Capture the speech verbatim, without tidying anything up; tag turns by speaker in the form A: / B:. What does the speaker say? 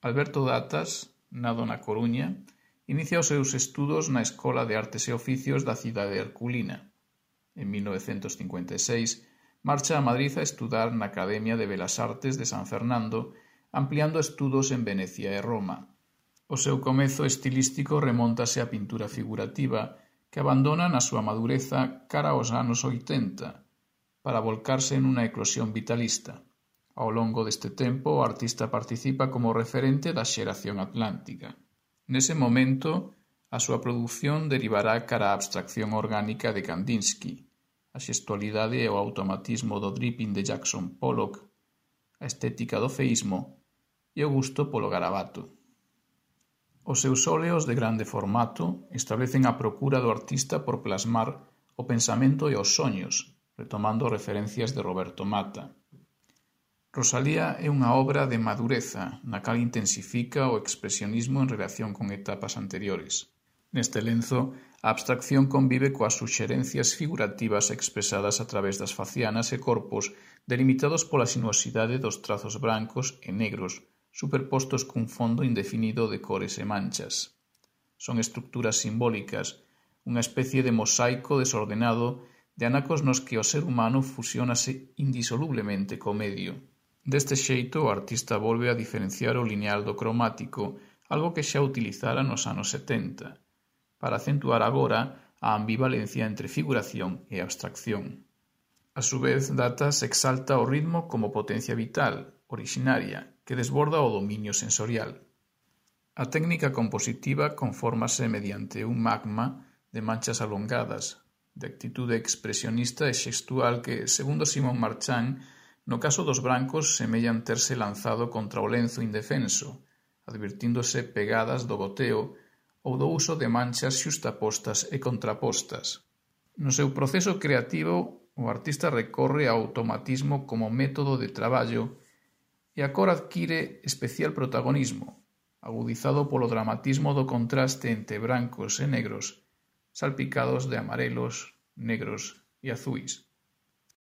A: Alberto Datas, nado na Coruña, inicia os seus estudos na Escola de Artes e Oficios da cidade herculina. En mil novecentos cincuenta e seis marcha a Madrid a estudar na Academia de Belas Artes de San Fernando, ampliando estudos en Venecia e Roma. O seu comezo estilístico remóntase á pintura figurativa, que abandona na súa madureza cara aos anos oitenta, para volcarse en unha eclosión vitalista. Ao longo deste tempo, o artista participa como referente da xeración atlántica. Nese momento, a súa produción derivará cara á abstracción orgánica de Kandinsky, a xestualidade e o automatismo do dripping de Jackson Pollock, a estética do feísmo e o gusto polo garabato. Os seus óleos de grande formato establecen a procura do artista por plasmar o pensamento e os soños, retomando referencias de Roberto Matta. Rosalía é unha obra de madureza, na cal intensifica o expresionismo en relación con etapas anteriores. Neste lenzo, a abstracción convive coas suxerencias figurativas expresadas a través das facianas e corpos delimitados pola sinuosidade dos trazos brancos e negros, superpostos cun fondo indefinido de cores e manchas. Son estructuras simbólicas, unha especie de mosaico desordenado de anacos nos que o ser humano fusionase indisolublemente co medio. Deste xeito, o artista volve a diferenciar o lineal do cromático, algo que xa utilizara nos anos setenta, para acentuar agora a ambivalencia entre figuración e abstracción. A su vez, Datas exalta o ritmo como potencia vital, orixinaria, que desborda o dominio sensorial. A técnica compositiva confórmase mediante un magma de manchas alongadas, de actitude expresionista e xestual que, segundo Simón Marchán, no caso dos brancos semellan terse lanzado contra o lenzo indefenso, advirtíndose pegadas do goteo ou do uso de manchas xustapostas e contrapostas. No seu proceso creativo, o artista recorre ao automatismo como método de traballo e a cor adquire especial protagonismo, agudizado polo dramatismo do contraste entre brancos e negros, salpicados de amarelos, negros e azuis.